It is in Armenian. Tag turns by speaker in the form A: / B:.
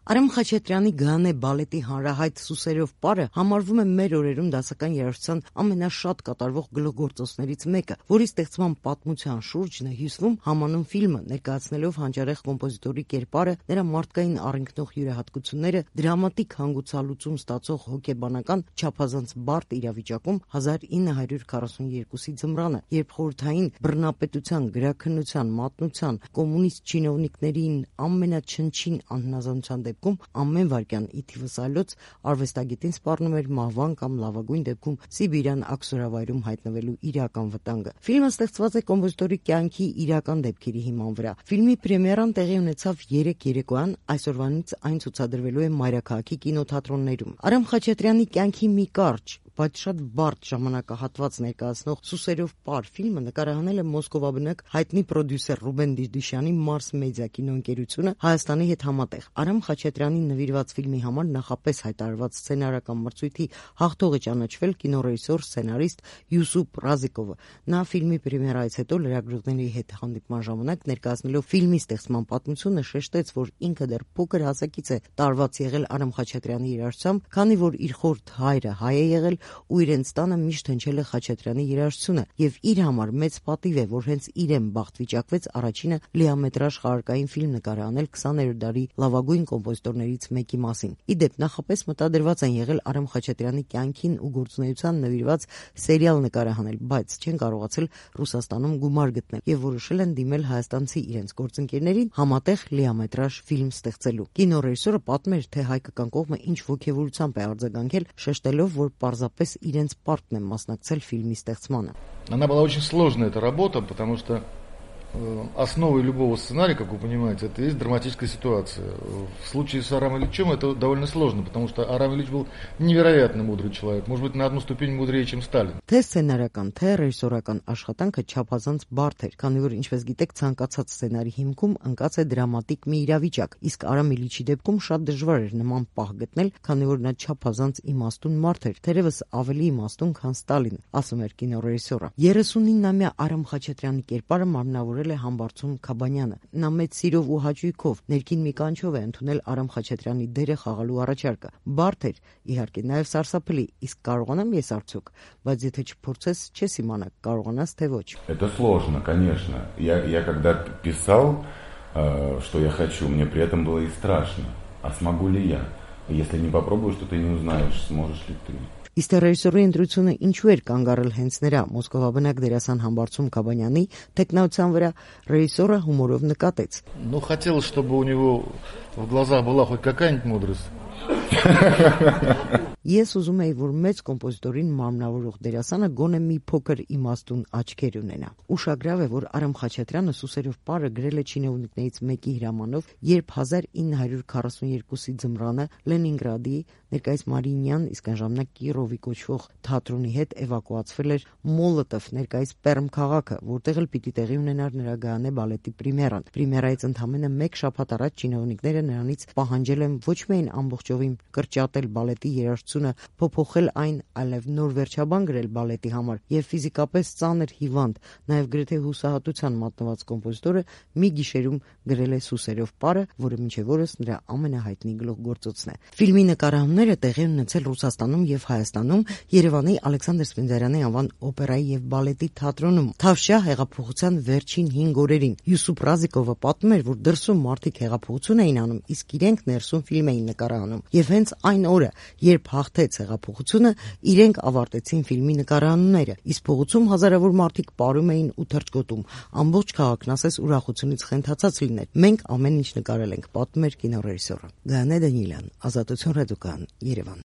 A: Արամ Խաչատրյանի Գայանե բալետի հանրահայտ Սուսերով պարը համարվում է մեր օրերում դասական երաժշտության ամենաշատ կատարվող գլուխգործոցներից մեկը, որի ստեղծման պատմության շուրջն է հյուսվում համանուն ֆիլմը, ներկայացնելով հանճարեղ կոմպոզիտորի կերպարը, նրա մարդկային առընկնող յուրահատկությունները, դրամատիկ հանգուցալուծում ստացող հոգեբանական չափազանց բարդ իրավիճակում 1942-ի ձմռանը, երբ խորհրդային բռնապետության, գրաքննության, մատնության, կոմունիստ չինովնիկներին ամենաչնչին անհնազանդության դեպքում ամեն վայրկյան ի թիվս այլոց արվեստագետին սպառնում էր մահվան կամ լավագույն դեպքում Սիբիրյան աքսորավայրում հայտնվելու իրական վտանգը։ Ֆիլմը ստեղծված է կոմպոզիտորի կյանքի իրական դեպքերի հիման վրա։ Ֆիլմի պրեմիերան տեղի ունեցավ 3 երեկոյան, այսօրվանից այն ցուցադրվելու է Մայրաքաղաքի կինոթատրոններում։ Արամ Խաչատրյանի կյանքի մի կարճ, բայց շատ բարդ ժամանակահատված ներկայացնող Սուսերով պար ֆիլմը նկարահանել է մոսկովաբնակ հայտնի պրոդյուսեր Ռուբեն Դիդիշյանի Mars Media կինոընկերությունը Հայաստանի հետ համատեղ։ Արամ Խաչատրյանին նվիրված ֆիլմի համար նախապես հայտարարված սցենարական մրցույթի հաղթող է ճանաչվել կինոռեժիսոր, սցենարիստ Յուսուփ Ռազիկովը։ Նա ֆիլմի պրեմիերայից հետո լրագրողների հետ հանդիպման ժամանակ ներկայացնելով ֆիլմի ստեղծման պատմությունը շեշտեց, որ ինքը դեռ փոքր հասակից է տարված եղել Արամ Խաչատրյանի երաժշտությամբ, քանի որ իր խորթ հայրը հայ է եղել ու իրենց տանը միշտ հնչել է Խաչատրյանի երաժշտությունը, եւ իր համար մեծ պատիվ է, որ հենց իրեն բախտ վիճակվեց առաջինը լիամետրաժ խաղարկային ֆիլմ նկարահանել 20-րդ դարի լավագույն կոմպոզիտորներից մեկի մասին։ Իդեպ նախապես մտադրված են եղել Արամ Խաչատրյանի կյանքին ու գործունեության նվիրված սերիալ նկարահանել, բայց չեն կարողացել Ռուսաստանում գումար գտնել եւ որոշել են դիմել հայաստանցի իրենց գործընկերներին համատեղ լիամետրաժ ֆիլմ ստեղծելու։ Կինոռեժիսորը պատմել, թե հայկական կողմը ինչ ոգևորությամբ է արձագանքել, շեշտելով, որ պարզապես իրենց պարտն է մասնակցել ֆիլմի ստեղծմանը։
B: Она была очень сложная эта работа, потому что основой любого сценария, как вы понимаете, это есть драматическая ситуация. В случае с Арам Ильичем это довольно сложно, потому что Арам Ильич был невероятно мудрый человек, может быть, на одну ступень мудрее, чем Сталин.
A: Թե սցենարական, թե ռեժիսորական աշխատանքը չափազանց բարդ էր, քանի որ ինչպես գիտեք, ցանկացած սցենարի հիմքում ընկած է դրամատիկ մի իրավիճակ, իսկ Արամ Իլիչի դեպքում շատ դժվար էր նման պահ գտնել, քանի որ նա չափազանց իմաստուն մարդ էր, թերևս ավելի իմաստուն, քան Ստալին, ասում էր կինոռեժիսորը։ 39-ամյա Արամ Խաչատրյանի կերպարը մարմնավորել է Համբարձում Քաբանյանը։ Նա մեծ սիրով ու հաճույքով ներքին մի կանչով է ընդունել Արամ Խաչատրյանի դերը խաղալու առաջարկը։ Բարդ էր, իհարկե, նաև սարսափելի, իսկ կարողանամ ես արդյոք, բայց եթե չփորձես, չես իմանա, կարողանաս թե ոչ։
C: Это сложно, конечно. Я когда писал, что я хочу, мне при этом было и страшно. А смогу ли я? Если не попробуешь, то ты не узнаешь, сможешь ли ты.
A: Իսկ ռեժիսորի ընտրությունը ինչու էր կանգ առել հենց նրա մոսկովաբնակ դերասան Համբարձում Քաբանյանի տեխնացիան վրա ռեժիսորը հումորով նկատեց.
B: Ну, хотелось, чтобы у него в глазах была хоть какая-нибудь мудрость.
A: Ես ուզում էի, որ մեծ կոմպոզիտորին մարմնավորող դերասանը գոնե մի փոքր իմաստուն աչքեր ունենա։ Ուշագրավ է, որ Արամ Խաչատրյանը Սուսերով պարը գրել է չինովնիկներից մեկի հրամանով, երբ 1942-ի ձմռանը Լենինգրադի, ներկայիս Մարինյան, իսկ այն ժամանակ Կիրովի կոչվող թատրոնի հետ էվակուացվել էր Մոլոտով, ներկայիս Պերմ քաղաքը, որտեղ էլ պիտի տեղի ունենար նրա Գայանե բալետի պրեմիերան։ Պրեմիերայից ընդամենը 1 շաբաթ առաջ չինովնիկները նրանից պահանջել են ոչ միայն ամբողջովին կրճատել բալետի երաժշտությունը, փոփոխել այն, այլև նոր վերջաբան գրել բալետի համար, եւ ֆիզիկապես ծանր հիվանդ, նաեւ գրեթե հուսահատության մատնված կոմպոզիտորը մի գիշերում գրել է Սուսերով պարը, որը մինչև օրս նրա ամենահայտնի գլուխգործոցն է։ Ֆիլմի նկարահանումները տեղի են ունեցել Ռուսաստանում եւ Հայաստանում, Երևանի Ալեքսանդր Սպենդիարյանի անվան օպերայի եւ բալետի թատրոնում։ Թավշյա հեղափոխության վերջին 5 օրերին Յուսուփ Ռազիկովը պատմում էր, որ դրսում մարդիկ հեղափոխություն էին անում, իսկ իրենք ներսում ֆիլմ էին նկարահանում։ Եվ հենց այն օրը, երբ հաղթեց հեղափոխությունը, իրենք ավարտեցին ֆիլմի նկարահանումները, իսկ փողոցում հազարավոր մարդիկ պարում էին ու թռչկոտում։ Ամբողջ քաղաքն ասես ուրախությունից խենթացած լիներ։ Մենք ամեն ինչ նկարել ենք, պատմում էր կինոռեժիսորը։ Գայանե Դանիելյան, Ազատություն ռադիոկայան, Երևան։